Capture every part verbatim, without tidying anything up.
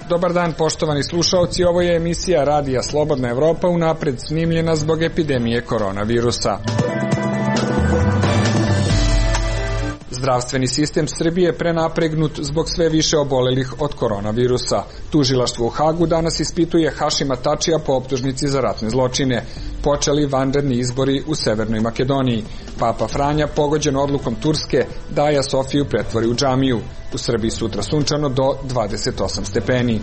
Dobar dan, poštovani slušaoci, ovo je emisija Radija Slobodna Evropa, unapred snimljena zbog epidemije koronavirusa. Zdravstveni sistem Srbije je prenapregnut zbog sve više obolelih od koronavirusa. Tužilaštvo u Hagu danas ispituje Hašima Tačija po optužnici za ratne zločine. Počeli vanredni izbori u Severnoj Makedoniji. Papa Franja, pogođen odlukom Turske, da Aja Sofiju pretvori u džamiju. U Srbiji sutra sunčano do dvadeset osam stepeni.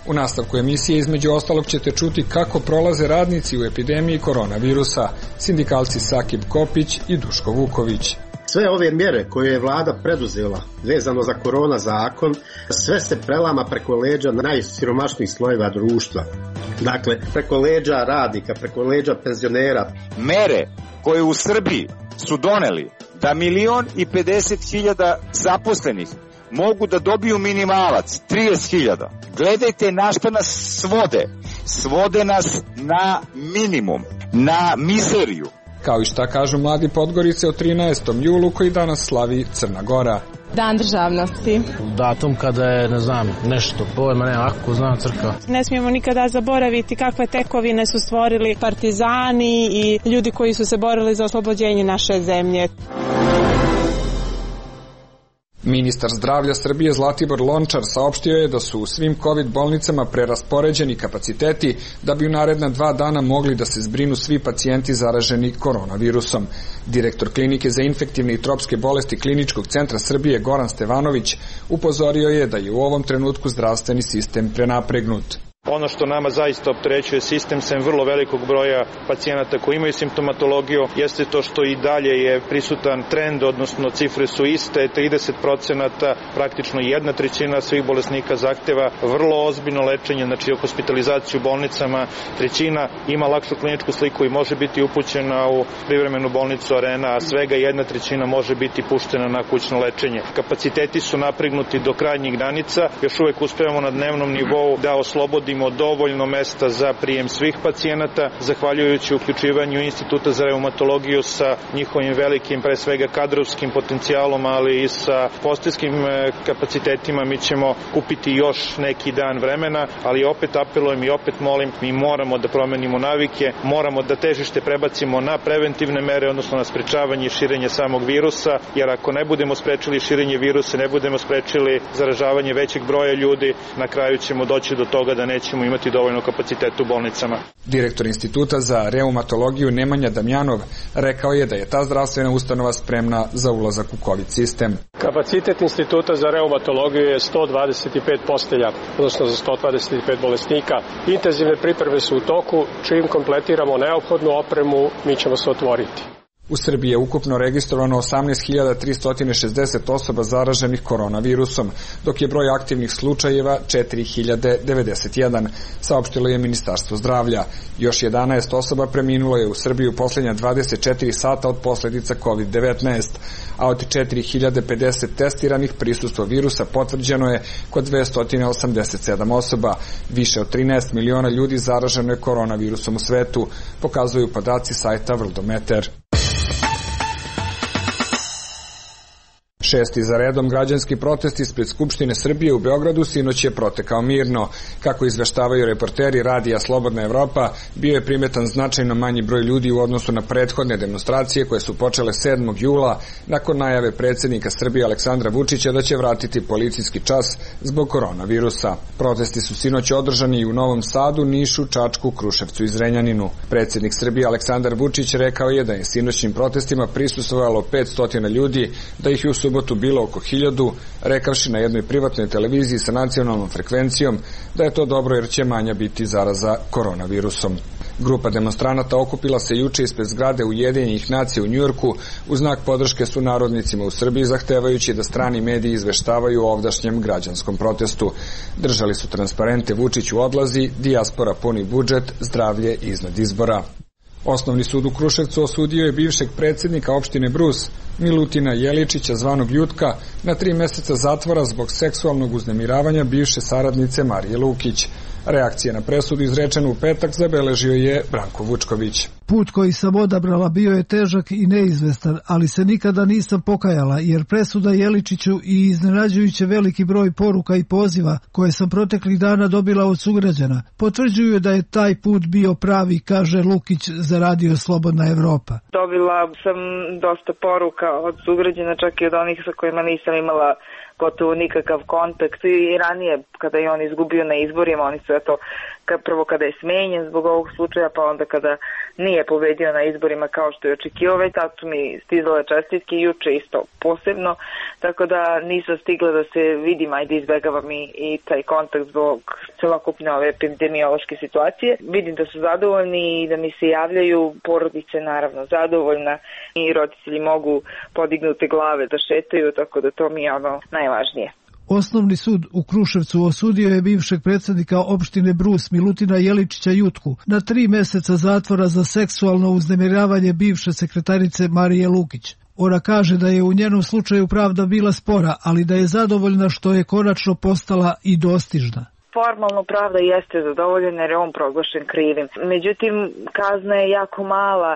U nastavku emisije između ostalog ćete čuti kako prolaze radnici u epidemiji koronavirusa, sindikalci Sakib Kopić i Duško Vuković. Sve ove mjere koje je vlada preduzela vezano za korona zakon, sve se prelama preko leđa najsiromašnijih slojeva društva. Dakle, preko leđa radnika, preko leđa penzionera. Mere koje u Srbiji su doneli da milion i pedeset hiljada zaposlenih mogu da dobiju minimalac, trideset hiljada. Gledajte na šta nas svode. Svode nas na minimum, na mizeriju. Kao i šta kažu mladi Podgorice o trinaestom julu koji danas slavi Crna Gora. Dan državnosti. Datum kada je, ne znam, nešto, pojma ne, ako znam crkva. Ne smijemo nikada zaboraviti kakve tekovine su stvorili partizani i ljudi koji su se borili za oslobođenje naše zemlje. Ministar zdravlja Srbije Zlatibor Lončar saopštio je da su u svim COVID bolnicama preraspoređeni kapaciteti da bi u naredna dva dana mogli da se zbrinu svi pacijenti zaraženi koronavirusom. Direktor klinike za infektivne i tropske bolesti Kliničkog centra Srbije Goran Stevanović upozorio je da je u ovom trenutku zdravstveni sistem prenapregnut. Ono što nama zaista opterećuje sistem sem vrlo velikog broja pacijenata koji imaju simptomatologiju jeste to što i dalje je prisutan trend, odnosno cifre su iste, trideset procenata, praktično jedna trećina svih bolesnika zahteva vrlo ozbiljno lečenje, znači hospitalizaciju u bolnicama, trećina ima lakšu kliničku sliku i može biti upućena u privremenu bolnicu Arena, a svega jedna trećina može biti puštena na kućno lečenje. Kapaciteti su napregnuti do krajnjih granica, još uvek uspevamo na dnevnom nivou da oslobodimo dovoljno mesta za prijem svih pacijenata, zahvaljujući uključivanju Instituta za reumatologiju sa njihovim velikim, pre svega kadrovskim potencijalom, ali i sa postajskim kapacitetima. Mi ćemo kupiti još neki dan vremena, ali opet apelujem i opet molim, mi moramo da promenimo navike, moramo da težište prebacimo na preventivne mere, odnosno na sprečavanje i širenje samog virusa, jer ako ne budemo sprečili širenje virusa, ne budemo sprečili zaražavanje većeg broja ljudi, na kraju ćemo doći do toga da neće ćemo imati dovoljno kapaciteta u bolnicama. Direktor Instituta za reumatologiju Nemanja Damjanov rekao je da je ta zdravstvena ustanova spremna za ulazak u COVID sistem. Kapacitet Instituta za reumatologiju je sto dvadeset pet postelja, odnosno za sto dvadeset pet bolesnika. Intenzivne pripreme su u toku, čim kompletiramo neophodnu opremu, mi ćemo se otvoriti. U Srbiji je ukupno registrovano osamnaest hiljada tristo šezdeset osoba zaraženih koronavirusom, dok je broj aktivnih slučajeva četiri hiljade devedeset jedan, saopštilo je Ministarstvo zdravlja. Još jedanaest osoba preminulo je u Srbiji u poslednja dvadeset četiri sata od posledica kovid devetnaest, a od četiri hiljade pedeset testiranih prisustvo virusa potvrđeno je kod dvesta osamdeset sedam osoba. Više od trinaest miliona ljudi zaraženo je koronavirusom u svetu, pokazuju podaci sajta Worldometer. Šesti za redom građanski protest ispred Skupštine Srbije u Beogradu sinoć je protekao mirno. Kako izveštavaju reporteri Radija Slobodna Evropa, bio je primetan značajno manji broj ljudi u odnosu na prethodne demonstracije koje su počele sedmog jula nakon najave predsjednika Srbije Aleksandra Vučića da će vratiti policijski čas zbog koronavirusa. Protesti su sinoć održani i u Novom Sadu, Nišu, Čačku, Kruševcu i Zrenjaninu. Predsjednik Srbije Aleksandar Vučić rekao je da je sinoćnim protestima prisustvovalo petsto ljudi, da ih je u subotu bilo oko hiljadu, rekavši na jednoj privatnoj televiziji sa nacionalnom frekvencijom da je to dobro jer će manja biti zaraza koronavirusom. Grupa demonstranata okupila se juče ispred zgrade Ujedinjenih nacija u Njujorku u znak podrške sunarodnicima u Srbiji, zahtevajući da strani mediji izveštavaju o ovdašnjem građanskom protestu. Držali su transparente Vučić u odlazi, dijaspora puni budžet, zdravlje iznad izbora. Osnovni sud u Kruševcu osudio je bivšeg predsjednika opštine Brus, Milutina Jeličića zvanog Jutka, na tri meseca zatvora zbog seksualnog uznemiravanja bivše saradnice Marije Lukić. Reakcija na presudu izrečenu u petak zabeležio je Branko Vučković. Put koji sam odabrala bio je težak i neizvestan, ali se nikada nisam pokajala, jer presuda Jeličiću i iznenađujuće veliki broj poruka i poziva koje sam proteklih dana dobila od sugrađana potvrđuju da je taj put bio pravi, kaže Lukić za Radio Slobodna Evropa. Dobila sam dosta poruka od sugrađana, čak i od onih sa kojima nisam imala gotovo nikakav kontakt i ranije kada je on izgubio na izborima, oni su eto prvo kada je smenjen zbog ovog slučaja, pa onda kada nije pobedio na izborima kao što je očekivao, već tad su mi stizale čestitke i juče isto posebno, tako da nisam stigla da se vidim, ajde izbegavam i, i taj kontakt zbog celokupne ove epidemiološke situacije. Vidim da su zadovoljni i da mi se javljaju, porodice naravno zadovoljna i roditelji mogu podignute glave da šetaju, tako da to mi je ono najvažnije. Osnovni sud u Kruševcu osudio je bivšeg predsjednika opštine Brus Milutina Jeličića Jutku na tri meseca zatvora za seksualno uznemiravanje bivše sekretarice Marije Lukić. Ona kaže da je u njenom slučaju pravda bila spora, ali da je zadovoljna što je konačno postala i dostižna. Formalno pravda jeste zadovoljena jer je on proglašen krivim. Međutim, kazna je jako mala,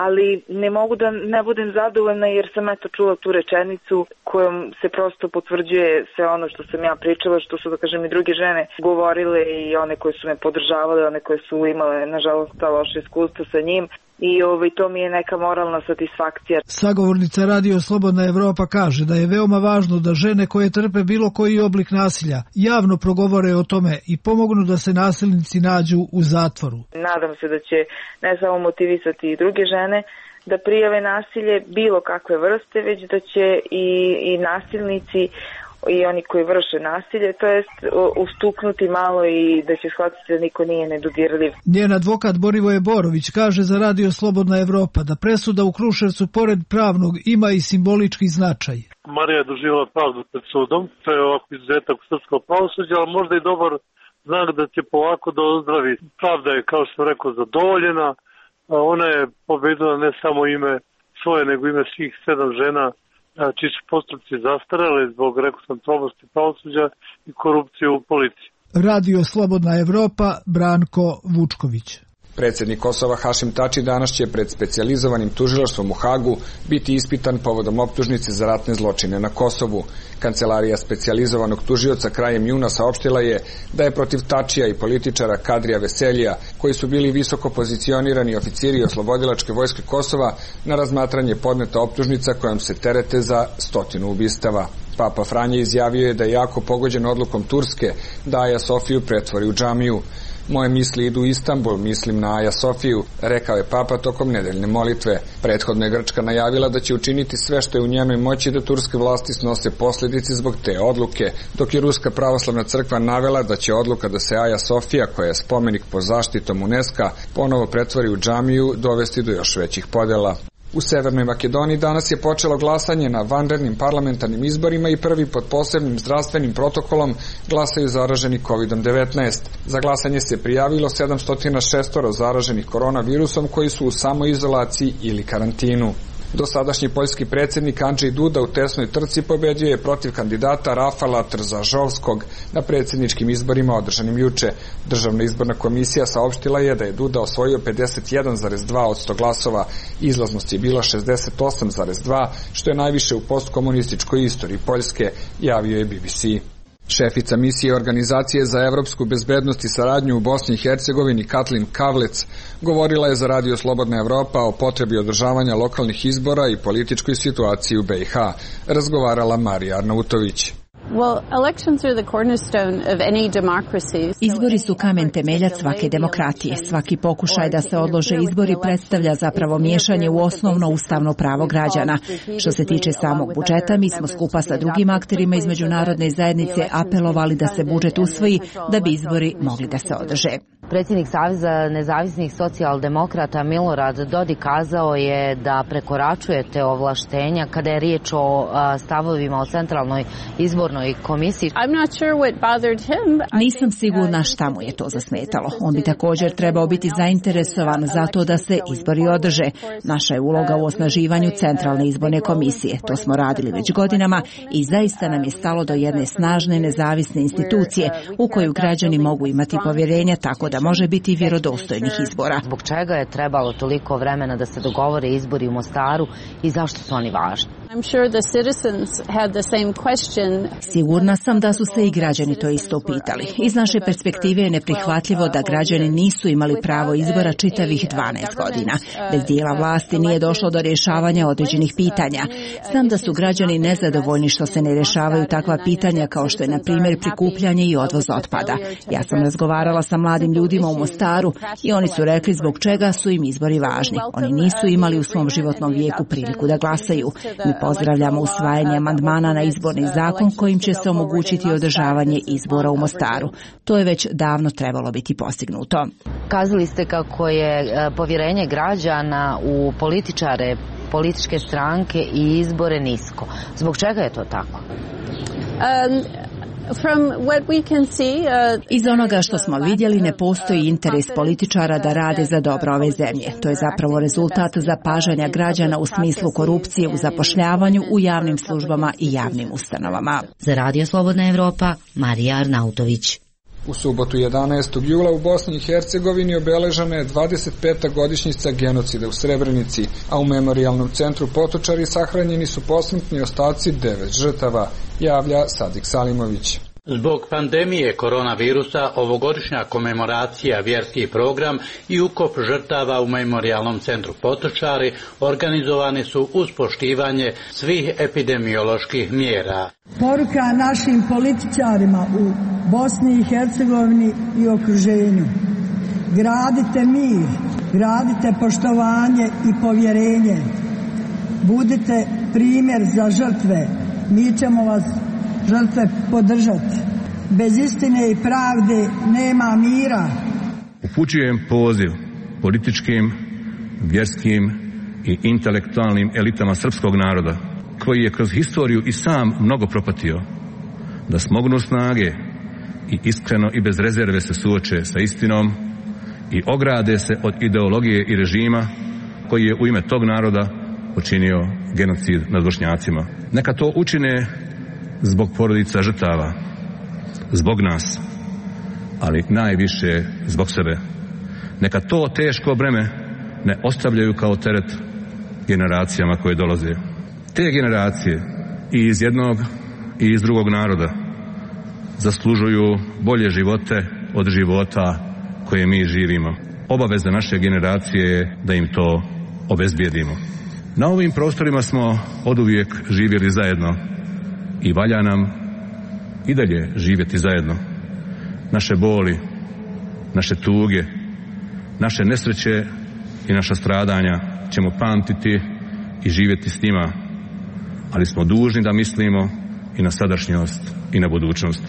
ali ne mogu da ne budem zadovoljna jer sam eto čula tu rečenicu kojom se prosto potvrđuje sve ono što sam ja pričala, što su da kažem i druge žene govorile i one koje su me podržavale, one koje su imale nažalost ta loše iskustva sa njim. I ovaj, to mi je neka moralna satisfakcija. Sagovornica Radio Slobodna Evropa kaže da je veoma važno da žene koje trpe bilo koji oblik nasilja javno progovore o tome i pomognu da se nasilnici nađu u zatvoru. Nadam se da će ne samo motivisati i druge žene da prijave nasilje bilo kakve vrste, već da će i, i nasilnici i oni koji vrše nasilje, to jest ustuknuti malo i da će shvatiti da niko nije nedodirljiv. Njen advokat Borivoje Borović kaže za Radio Slobodna Evropa da presuda u Kruševcu pored pravnog ima i simbolički značaj. Marija je doživjela pravdu pred sudom, to je ovako izuzetak srpskog pravosuđa, ali možda i dobar znak da će polako da ozdravi. Pravda je, kao što sam rekao, zadovoljena, ona je pobedila ne samo ime svoje, nego ime svih sedam žena čiji su postupci zastarele zbog, rekao sam, tromosti pravosuđa i korupcije u policiji. Radio Slobodna Evropa, Branko Vučković. Predsjednik Kosova Hašim Tači danas će pred specijalizovanim tužilaštvom u Hagu biti ispitan povodom optužnice za ratne zločine na Kosovu. Kancelarija specijalizovanog tužioca krajem juna saopštila je da je protiv Tačija i političara Kadrija Veseljija, koji su bili visoko pozicionirani oficiri oslobodilačke vojske Kosova, na razmatranje podneta optužnica kojom se terete za stotinu ubistava. Papa Franje izjavio je da je jako pogođen odlukom Turske da Aja Sofiju pretvori u džamiju. Moje misli idu u Istanbul, mislim na Aja Sofiju, rekao je Papa tokom nedeljne molitve. Prethodno je Grčka najavila da će učiniti sve što je u njenoj moći da turske vlasti snose posljedice zbog te odluke, dok je Ruska pravoslavna crkva navela da će odluka da se Aja Sofija, koja je spomenik pod zaštitom UNESCO, ponovo pretvori u džamiju, dovesti do još većih podjela. U Severnoj Makedoniji danas je počelo glasanje na vanrednim parlamentarnim izborima i prvi pod posebnim zdravstvenim protokolom glasaju zaraženi kovid devetnaest. Za glasanje se prijavilo sedamsto šest zaraženih koronavirusom koji su u samoizolaciji ili karantinu. Dosadašnji poljski predsjednik Andrzej Duda u tesnoj trci pobedio je protiv kandidata Rafala Trzažovskog na predsjedničkim izborima održanim juče. Državna izborna komisija saopštila je da je Duda osvojio pedeset jedan zarez dva posto glasova. Izlaznost je bila šezdeset osam zarez dva, što je najviše u postkomunističkoj istoriji Poljske, javio je B B C. Šefica misije Organizacije za evropsku bezbednost i saradnju u Bosni i Hercegovini Katlin Kavlec govorila je za Radio Slobodna Evropa o potrebi održavanja lokalnih izbora i političkoj situaciji u B i H. Razgovarala Marija Arnautović. Izbori su kamen temeljac svake demokratije. Svaki pokušaj da se odlože izbori predstavlja zapravo miješanje u osnovno ustavno pravo građana. Što se tiče samog budžeta, mi smo skupa sa drugim akterima iz međunarodne zajednice apelovali da se budžet usvoji da bi izbori mogli da se održe. Predsjednik Saveza nezavisnih socijaldemokrata Milorad Dodik kazao je da prekoračujete ovlaštenja kada je riječ o stavovima o Centralnoj izbornoj komisiji. Nisam sigurna šta mu je to zasmetalo. On bi također trebao biti zainteresovan za to da se izbori održe. Naša je uloga u osnaživanju Centralne izborne komisije. To smo radili već godinama i zaista nam je stalo do jedne snažne nezavisne institucije u koju građani mogu imati povjerenja tako da može biti vjerodostojnih izbora. Zbog čega je trebalo toliko vremena da se dogovore izbori u Mostaru i zašto su oni važni? Sigurna sam da su se i građani to isto pitali. Iz naše perspektive je neprihvatljivo da građani nisu imali pravo izbora čitavih dvanaest godina. Bez dijela vlasti nije došlo do rješavanja određenih pitanja. Znam da su građani nezadovoljni što se ne rješavaju takva pitanja kao što je na primjer prikupljanje i odvoz otpada. Ja sam razgovarala sa mladim ljudima u Mostaru i oni su rekli zbog čega su im izbori važni. Oni nisu imali u svom životnom vijeku priliku da glasaju. Mi pozdravljamo usvajanje amandmana na izborni zakon kojim će se omogućiti održavanje izbora u Mostaru. To je već davno trebalo biti postignuto. Kazali ste kako je povjerenje građana u političare, političke stranke i izbore nisko. Zbog čega je to tako? Um, Iz onoga što smo vidjeli ne postoji interes političara da rade za dobro ove zemlje. To je zapravo rezultat zapažanja građana u smislu korupcije u zapošljavanju u javnim službama i javnim ustanovama. Za Radio Slobodna Evropa, Marija Arnautović. U subotu jedanaestog jula u Bosni i Hercegovini obeležena je dvadeset peta godišnjica genocida u Srebrenici, a u memorijalnom centru Potočari sahranjeni su posmrtni ostaci devet žrtava, javlja Sadik Salimović. Zbog pandemije koronavirusa ovogodišnja komemoracija, vjerski program i ukop žrtava u memorijalnom centru Potočari organizovani su uz poštivanje svih epidemioloških mjera. Poruka našim političarima u Bosni i Hercegovini i okruženju. Gradite mir, gradite poštovanje i povjerenje. Budite primjer za žrtve. Mi ćemo vas žrtve podržati. Bez istine i pravde nema mira. Upućujem poziv političkim, vjerskim i intelektualnim elitama srpskog naroda, koji je kroz historiju i sam mnogo propatio, da smognu snage i iskreno i bez rezerve se suoče sa istinom i ograde se od ideologije i režima koji je u ime tog naroda počinio genocid nad Bošnjacima. Neka to učine zbog porodica žrtava, zbog nas, ali najviše zbog sebe. Neka to teško breme ne ostavljaju kao teret generacijama koje dolaze. Te generacije i iz jednog i iz drugog naroda zaslužuju bolje živote od života koje mi živimo. Obaveza naše generacije je da im to obezbijedimo. Na ovim prostorima smo oduvijek živjeli zajedno i valja nam i dalje živjeti zajedno. Naše boli, naše tuge, naše nesreće i naša stradanja ćemo pamtiti i živjeti s njima, ali smo dužni da mislimo i na sadašnjost i na budućnost.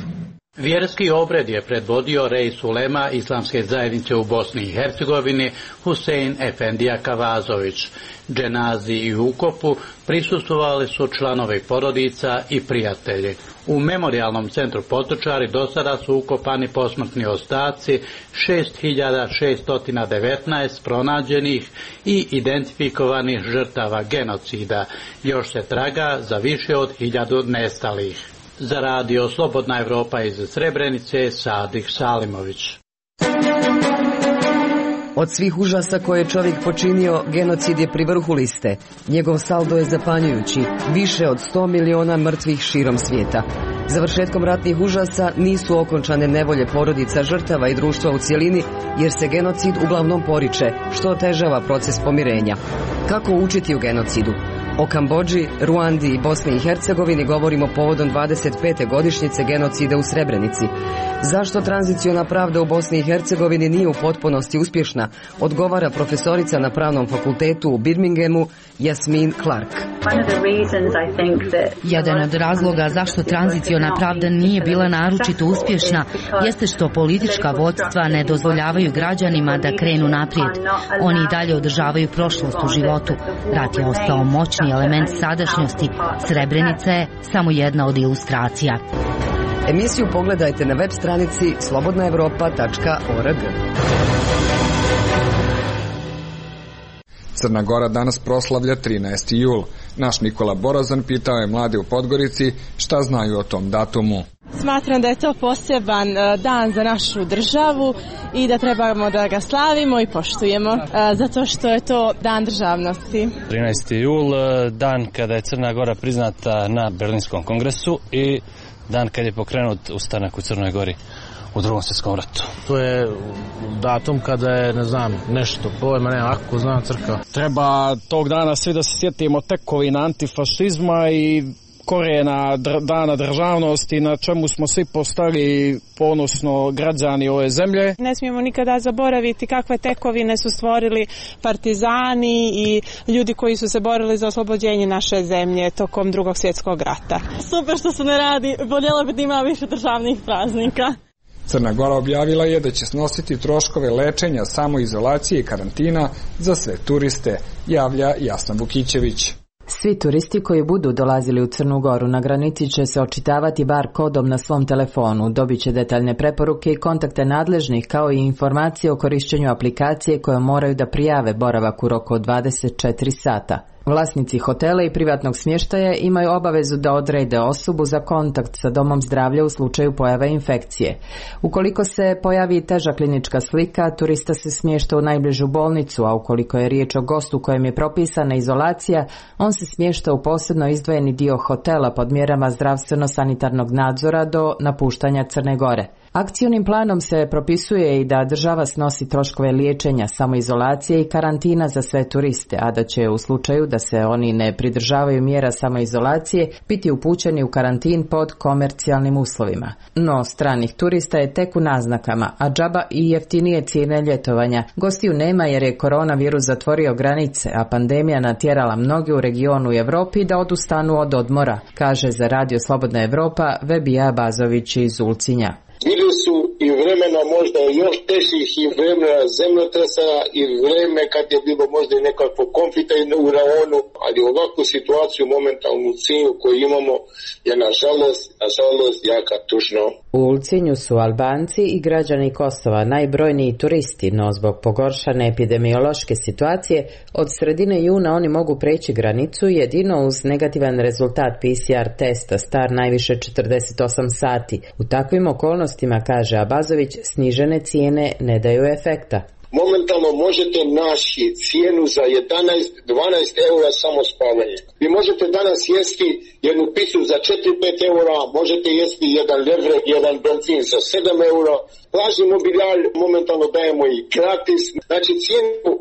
Vjerski obred je predvodio Reis ulema Islamske zajednice u Bosni i Hercegovini Husein Efendija Kavazović. Dženazi i ukopu prisustvovali su članovi porodica i prijatelji. U memorijalnom centru Potočari do sada su ukopani posmrtni ostaci šest hiljada šesto devetnaest pronađenih i identifikovanih žrtava genocida. Još se traga za više od hiljadu nestalih. Za Radio Slobodna Evropa iz Srebrenice, Sadik Salimović. Od svih užasa koje je čovjek počinio, genocid je pri vrhu liste. Njegov saldo je zapanjujući, više od sto miliona mrtvih širom svijeta. Završetkom ratnih užasa nisu okončane nevolje porodica žrtava i društva u cjelini, jer se genocid uglavnom poriče, što otežava proces pomirenja. Kako učiti u genocidu? O Kambodži, Ruandi i Bosni i Hercegovini govorimo povodom dvadeset pete godišnjice genocida u Srebrenici. Zašto tranziciona pravda u Bosni i Hercegovini nije u potpunosti uspješna, odgovara profesorica na Pravnom fakultetu u Birminghamu Jasmin Clark. Jedan od razloga zašto tranziciona pravda nije bila naročito uspješna jeste što politička vodstva ne dozvoljavaju građanima da krenu naprijed. Oni i dalje održavaju prošlost u životu. Rat je ostao moćni element sadašnjosti. Srebrenica je samo jedna od ilustracija. Emisiju pogledajte na web stranici slobodna evropa tačka org. Crna Gora danas proslavlja trinaesti jul. Naš Nikola Borazan pitao je mlade u Podgorici šta znaju o tom datumu. Smatram da je to poseban dan za našu državu i da trebamo da ga slavimo i poštujemo, zato što je to dan državnosti. trinaesti jul, dan kada je Crna Gora priznata na Berlinskom kongresu i dan kad je pokrenut ustanak u Crnoj Gori u Drugom svjetskom ratu. To je datum kada je, ne znam, nešto, pojma nema, ako zna crkva. Treba tog dana svi da se sjetimo tekovina antifašizma i korijena dana državnosti na čemu smo svi postali ponosno građani ove zemlje. Ne smijemo nikada zaboraviti kakve tekovine su stvorili partizani i ljudi koji su se borili za oslobođenje naše zemlje tokom Drugog svjetskog rata. Super što se ne radi, voljela bi da ima više državnih praznika. Crna Gora objavila je da će snositi troškove lečenja, samoizolacije i karantina za sve turiste, javlja Jasna Vukićević. Svi turisti koji budu dolazili u Crnu Goru na granici će se očitavati bar kodom na svom telefonu, dobit će detaljne preporuke i kontakte nadležnih kao i informacije o korišćenju aplikacije koje moraju da prijave boravak u roku od dvadeset četiri sata. Vlasnici hotela i privatnog smještaja imaju obavezu da odrede osobu za kontakt sa domom zdravlja u slučaju pojave infekcije. Ukoliko se pojavi teža klinička slika, turista se smješta u najbližu bolnicu, a ukoliko je riječ o gostu kojem je propisana izolacija, on se smješta u posebno izdvojeni dio hotela pod mjerama zdravstveno-sanitarnog nadzora do napuštanja Crne Gore. Akcijnim planom se propisuje i da država snosi troškove liječenja, samoizolacije i karantina za sve turiste, a da će u slučaju da se oni ne pridržavaju mjera samoizolacije biti upućeni u karantin pod komercijalnim uslovima. No, stranih turista je tek u naznakama, a džaba i jeftinije cijene ljetovanja. Gostiju nema jer je koronavirus zatvorio granice, a pandemija natjerala mnoge u regionu i Evropi da odustanu od odmora, kaže za Radio Slobodna Evropa Vebija Bazović iz Ulcinja. Bili su i vremena možda još težih i vremena zemljotresa i vreme kad je bilo možda i nekakvo konflikta u raonu, ali ovakvu situaciju momentalnu cilju koju imamo je nažalost, nažalost jaka tužno. U Ulcinju su Albanci i građani Kosova najbrojniji turisti, no zbog pogoršane epidemiološke situacije od sredine juna oni mogu preći granicu jedino uz negativan rezultat P C R testa star najviše četrdeset osam sati. U takvim okolnostima, kaže Abazović, snižene cijene ne daju efekta. Momentalno možete naći cijenu za jedanaest do dvanaest eura samo spavanje. Vi možete danas jesti jednu picu za četiri do pet eura, možete jesti jedan levrek, jedan benzin za sedam eura. Plažni mobilijar momentalno dajemo i gratis. Znači cijenu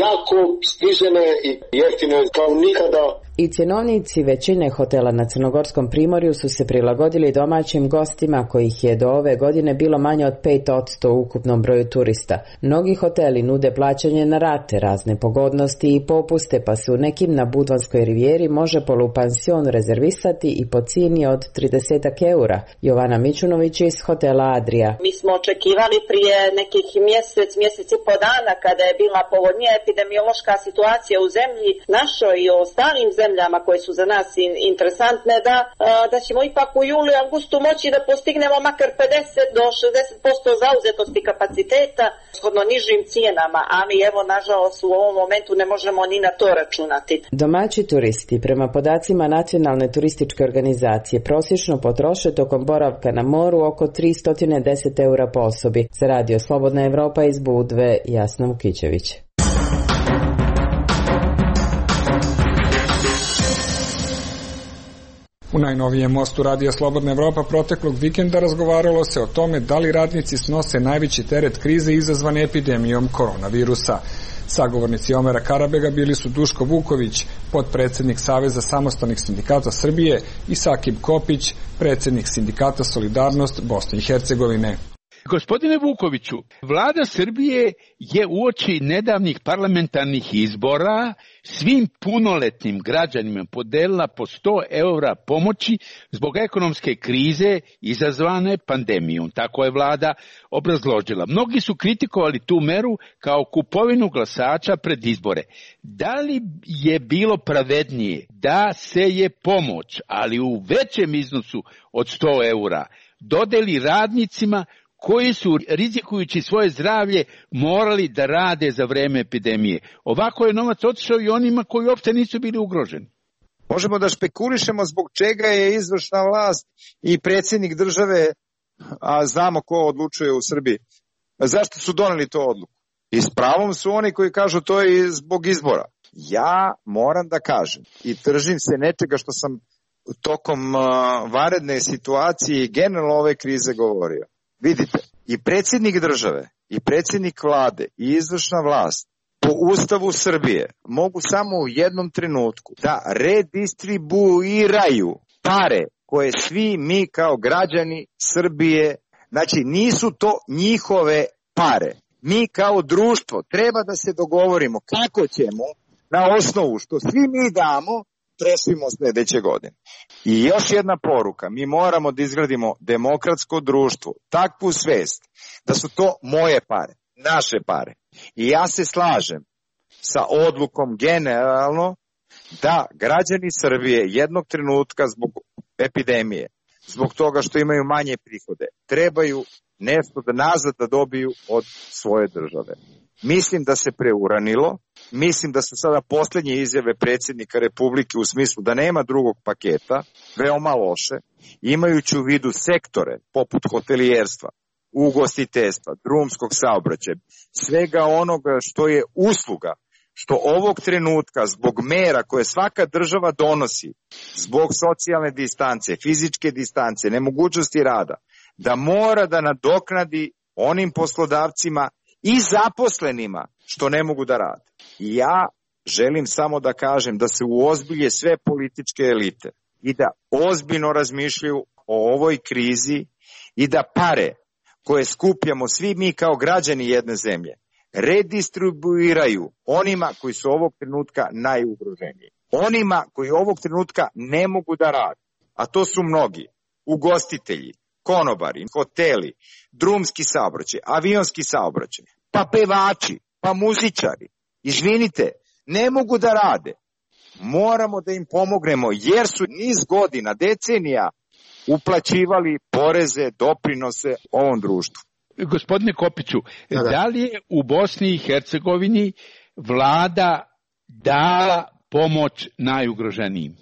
jako snižene i jeftine kao nikada. I cjenovnici većine hotela na Crnogorskom primorju su se prilagodili domaćim gostima kojih je do ove godine bilo manje od pet posto u ukupnom broju turista. Mnogi hoteli nude plaćanje na rate, razne pogodnosti i popuste, pa se u nekim na Budvanskoj rivijeri može polupansion rezervisati i po cijeni od trideset eura. Jovana Mićunović iz hotela Adria. Mi smo očekivali prije nekih mjesec, mjesec i po dana kada je bila povoljnija epidemiološka situacija u zemlji našoj i u ostalim zemljama zemljama koje su za nas interesantne, da, da ćemo ipak u julu i augustu moći da postignemo makar pedeset do šezdeset posto zauzetosti kapaciteta shodno nižim cijenama, ali evo nažalost u ovom momentu ne možemo ni na to računati. Domaći turisti prema podacima Nacionalne turističke organizacije prosječno potroše tokom boravka na moru oko tristo deset eura po osobi. Za Radio Slobodna Evropa iz Budve, Jasna Vukićević. U najnovijem mostu Radija Slobodna Evropa proteklog vikenda razgovaralo se o tome da li radnici snose najveći teret krize izazvane epidemijom koronavirusa. Sagovornici Omera Karabega bili su Duško Vuković, potpredsednik Saveza samostalnih sindikata Srbije, i Sakib Kopić, predsednik sindikata Solidarnost Bosne i Hercegovine. Gospodine Vukoviću, vlada Srbije je uoči nedavnih parlamentarnih izbora svim punoletnim građanima podelila po sto eura pomoći zbog ekonomske krize izazvane pandemijom. Tako je vlada obrazložila. Mnogi su kritikovali tu meru kao kupovinu glasača pred izbore. Da li je bilo pravednije da se je pomoć, ali u većem iznosu od sto eura, dodeli radnicima koji su, rizikujući svoje zdravlje, morali da rade za vreme epidemije? Ovako je novac otišao i onima koji uopšte nisu bili ugroženi. Možemo da špekulišemo zbog čega je izvršna vlast i predsjednik države, a znamo ko odlučuje u Srbiji, zašto su doneli to odluku. I s pravom su oni koji kažu to je zbog izbora. Ja moram da kažem i držim se nečega što sam tokom uh, vanredne situacije i generalno ove krize govorio. Vidite, i predsjednik države, i predsjednik vlade, i izvršna vlast po Ustavu Srbije mogu samo u jednom trenutku da redistribuiraju pare koje svi mi kao građani Srbije, znači nisu to njihove pare. Mi kao društvo treba da se dogovorimo kako ćemo na osnovu što svi mi damo presvimo sljedeće godine. I još jedna poruka, mi moramo da izgradimo demokratsko društvo, takvu svest da su to moje pare, naše pare. I ja se slažem sa odlukom generalno da građani Srbije jednog trenutka zbog epidemije, zbog toga što imaju manje prihode, trebaju nešto da nazad da dobiju od svoje države. Mislim da se preuranilo, mislim da su sada posljednje izjave predsjednika Republike u smislu da nema drugog paketa, veoma loše, imajući u vidu sektore poput hotelijerstva, ugostiteljstva, drumskog saobraćaja, svega onoga što je usluga, što ovog trenutka zbog mera koje svaka država donosi, zbog socijalne distance, fizičke distance, nemogućnosti rada, da mora da nadoknadi onim poslodavcima i zaposlenima što ne mogu da rade. I ja želim samo da kažem da se uozbilje sve političke elite i da ozbiljno razmišljaju o ovoj krizi i da pare koje skupljamo svi mi kao građani jedne zemlje redistribuiraju onima koji su ovog trenutka najugroženiji. Onima koji ovog trenutka ne mogu da rade, a to su mnogi, ugostitelji, konobari, hoteli, drumski saobraćaj, avionski saobraćaj, pa pevači, pa muzičari. Izvinite, ne mogu da rade. Moramo da im pomognemo jer su niz godina, decenija uplaćivali poreze, doprinose ovom društvu. Gospodine Kopiću, da, da. da li je u Bosni i Hercegovini vlada dala pomoć najugroženijim?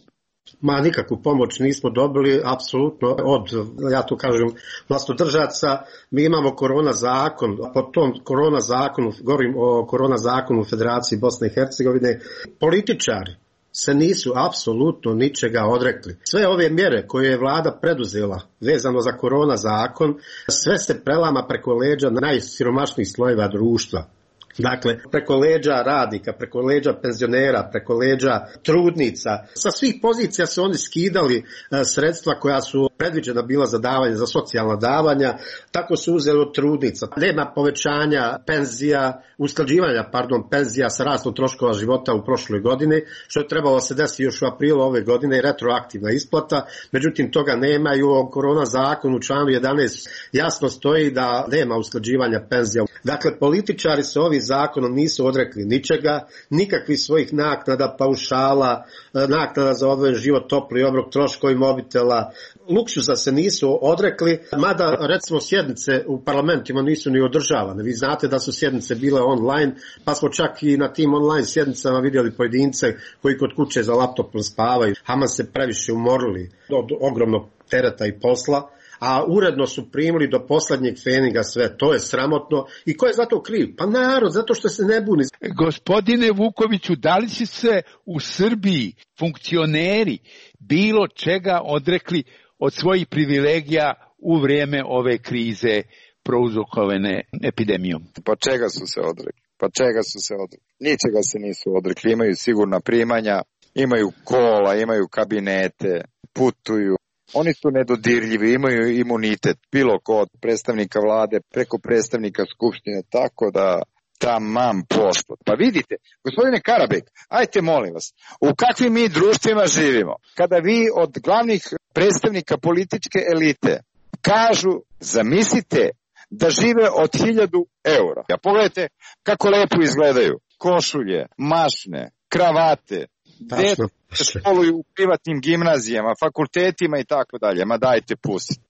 Ma nikakvu pomoć nismo dobili, apsolutno od, ja tu kažem, vlastodržaca. Mi imamo korona zakon, po tom korona zakonu, govorim o korona zakonu u Federaciji Bosne i Hercegovine, političari se nisu apsolutno ničega odrekli. Sve ove mjere koje je vlada preduzela vezano za korona zakon, sve se prelama preko leđa najsiromašnijih slojeva društva. Dakle, preko leđa radnika, preko leđa penzionera, preko leđa trudnica. Sa svih pozicija su oni skidali sredstva koja su predviđena bila za davanje, za socijalna davanja, tako su uzeli od trudnica. Nema povećanja penzija, usklađivanja, pardon, penzija sa rastom troškova života u prošloj godini, što je trebalo se desiti još u aprilu ove godine, retroaktivna isplata, međutim toga nema i u korona zakonu u članu jedanaest jasno stoji da nema usklađivanja penzija. Dakle, političari se ovi zakonom nisu odrekli ničega, nikakvih svojih naknada, paušala, naknada za odvojen život, topli obrok, troškovi mobitela, luksuza se nisu odrekli, mada recimo sjednice u parlamentima nisu ni održavane. Vi znate da su sjednice bile online, pa smo čak i na tim online sjednicama vidjeli pojedince koji kod kuće za laptopom spavaju. Haman se previše umorili od ogromnog tereta i posla, a uredno su primili do posljednjeg feninga sve. To je sramotno. I ko je za to kriv? Pa narod, zato što se ne buni. Gospodine Vukoviću, da li će se u Srbiji funkcioneri bilo čega odrekli od svojih privilegija u vrijeme ove krize prouzrokovane epidemijom? Pa čega su se odrekli? Pa čega su se odrekli? Ničega se nisu odrekli, imaju sigurna primanja, imaju kola, imaju kabinete, putuju. Oni su nedodirljivi, imaju imunitet, bilo ko od predstavnika vlade, preko predstavnika skupštine, tako da tamam poslot. Pa vidite, gospodine Karabek, ajte molim vas, u kakvim mi društvima živimo? Kada vi od glavnih predstavnika političke elite kažu, zamislite da žive od hiljadu eura. Ja pogledajte kako lepo izgledaju. Košulje, mašne, kravate, deca se školuju u privatnim gimnazijama, fakultetima i tako dalje. Ma dajte pusti.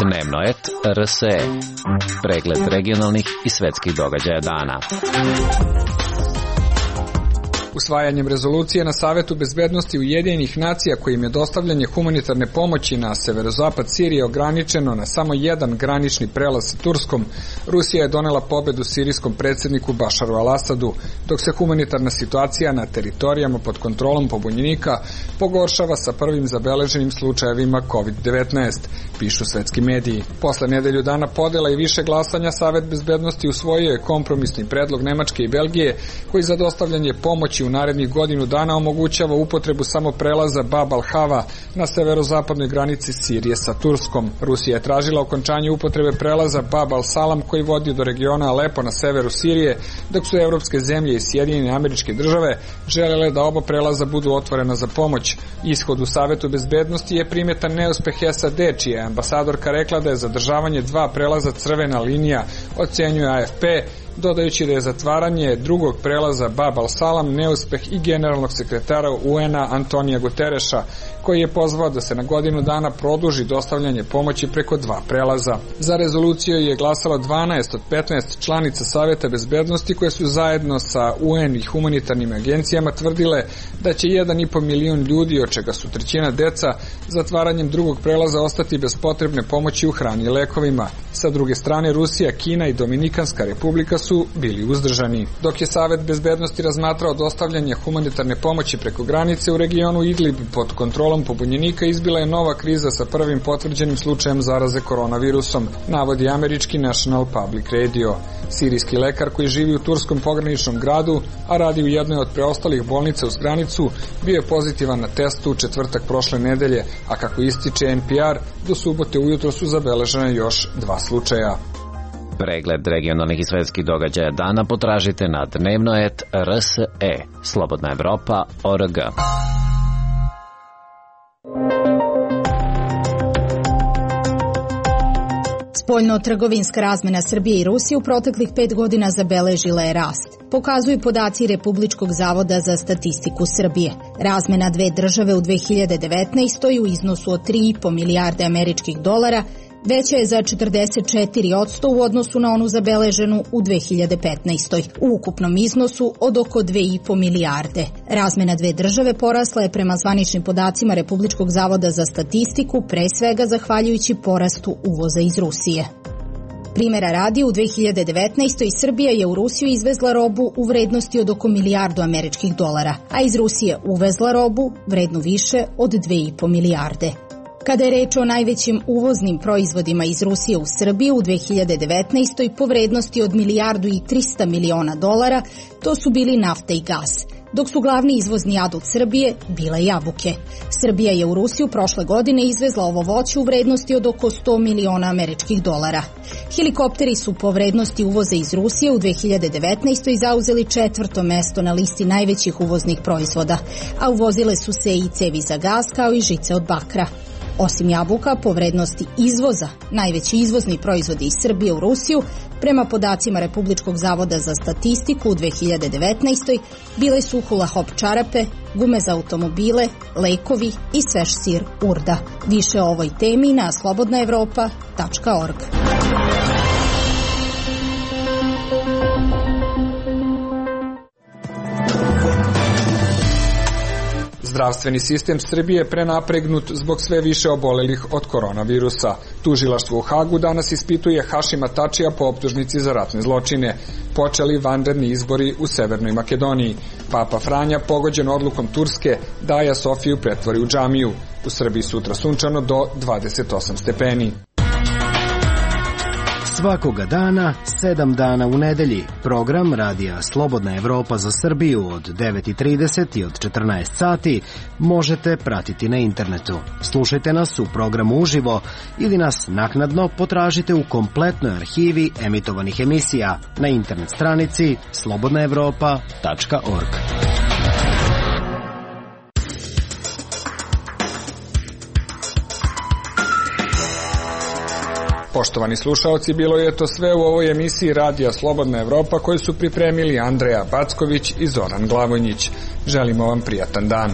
Dnevnoet R S E. Pregled regionalnih i svetskih događaja dana. Usvajanjem rezolucije na Savetu bezbednosti Ujedinjenih nacija kojim je dostavljanje humanitarne pomoći na severozapad Sirije ograničeno na samo jedan granični prelaz sa Turskom, Rusija je donela pobedu sirijskom predsjedniku Bašaru al-Asadu, dok se humanitarna situacija na teritorijama pod kontrolom pobunjenika pogoršava sa prvim zabeleženim slučajevima kovid devetnaest, pišu svetski mediji. Posle nedelju dana podela i više glasanja, Savet bezbednosti usvojio je kompromisni predlog Nemačke i Belgije koji za dostavljanje pomoći u narednih godinu dana omogućava upotrebu samo prelaza Bab al-Hava na severozapadnoj granici Sirije sa Turskom. Rusija je tražila okončanje upotrebe prelaza Bab al-Salam koji vodi do regiona Alepo na severu Sirije, dok su evropske zemlje i Sjedinjene Američke Države želele da oba prelaza budu otvorena za pomoć. Ishod u Savetu bezbednosti je primetan neuspeh S A D, čija je ambasadorka rekla da je zadržavanje dva prelaza crvena linija, ocenjuje A F P, dodajući da je zatvaranje drugog prelaza Bab al-Salam neuspeh i generalnog sekretara U N-a Antonija Gutereša, koji je pozvao da se na godinu dana produži dostavljanje pomoći preko dva prelaza. Za rezoluciju je glasalo dvanaest od petnaest članica Saveta bezbednosti koje su zajedno sa U N i humanitarnim agencijama tvrdile da će jedan i po milion ljudi, od čega su trećina deca, zatvaranjem drugog prelaza ostati bez potrebne pomoći u hrani i lekovima. Sa druge strane, Rusija, Kina i Dominikanska republika su bili uzdržani. Dok je Savet bezbednosti razmatrao dostavljanje humanitarne pomoći preko granice, u regionu Idlib pod kontrolom pobunjenika izbila je nova kriza sa prvim potvrđenim slučajem zaraze koronavirusom, navodi američki National Public Radio. Sirijski lekar koji živi u turskom pograničnom gradu, a radi u jednoj od preostalih bolnica uz granicu, bio je pozitivan na testu u četvrtak prošle nedelje, a kako ističe N P R, do subote ujutro su zabeležene još dva slučaja. Pregled regionalnih i svetskih događaja dana potražite na dnevnoet R S E, Slobodna Evropa, O R G. Spoljno-trgovinska razmena Srbije i Rusije u proteklih pet godina zabeležila je rast. Pokazuju podaci Republičkog zavoda za statistiku Srbije. Razmena dve države u dve hiljade devetnaestoj u iznosu od tri i po milijarde američkih dolara veća je za četrdeset četiri posto u odnosu na onu zabeleženu u dve hiljade petnaestoj. U ukupnom iznosu od oko dve i po milijarde. Razmena dve države porasla je prema zvaničnim podacima Republičkog zavoda za statistiku, pre svega zahvaljujući porastu uvoza iz Rusije. Primera radi, u dve hiljade devetnaestoj Srbija je u Rusiju izvezla robu u vrednosti od oko milijardu američkih dolara, a iz Rusije uvezla robu vrednu više od dve i po milijarde. Kada je reč o najvećim uvoznim proizvodima iz Rusije u Srbiju u dve hiljade devetnaestoj po vrednosti od milijardu i trista miliona dolara, to su bili nafta i gas, dok su glavni izvozni adut Srbije bile jabuke. Srbija je u Rusiju prošle godine izvezla ovo voće u vrednosti od oko sto miliona američkih dolara. Helikopteri su po vrednosti uvoza iz Rusije u dve hiljade devetnaestoj zauzeli četvrto mesto na listi najvećih uvoznih proizvoda, a uvozile su se i cevi za gas kao i žice od bakra. Osim jabuka, po vrednosti izvoza, najveći izvozni proizvodi iz Srbije u Rusiju, prema podacima Republičkog zavoda za statistiku u dve hiljade devetnaestoj bile su hula hop čarape, gume za automobile, lekovi i svež sir Urda. Više o ovoj temi na slobodna evropa tačka org. Zdravstveni sistem Srbije je prenapregnut zbog sve više obolelih od koronavirusa. Tužilaštvo u Hagu danas ispituje Hašima Tačija po optužnici za ratne zločine. Počeli vanredni izbori u Severnoj Makedoniji. Papa Franja, pogođen odlukom Turske, da Aja Sofiju pretvori u džamiju. U Srbiji sutra sunčano do dvadeset osam stepeni. Svakoga dana, sedam dana u nedelji, program Radija Slobodna Evropa za Srbiju od devet i trideset i od četrnaest sati možete pratiti na internetu. Slušajte nas u programu uživo ili nas naknadno potražite u kompletnoj arhivi emitovanih emisija na internet stranici slobodna evropa tačka org. Poštovani slušaoci, bilo je to sve u ovoj emisiji Radija Slobodna Evropa koju su pripremili Andreja Backović i Zoran Glavonjić. Želimo vam prijatan dan.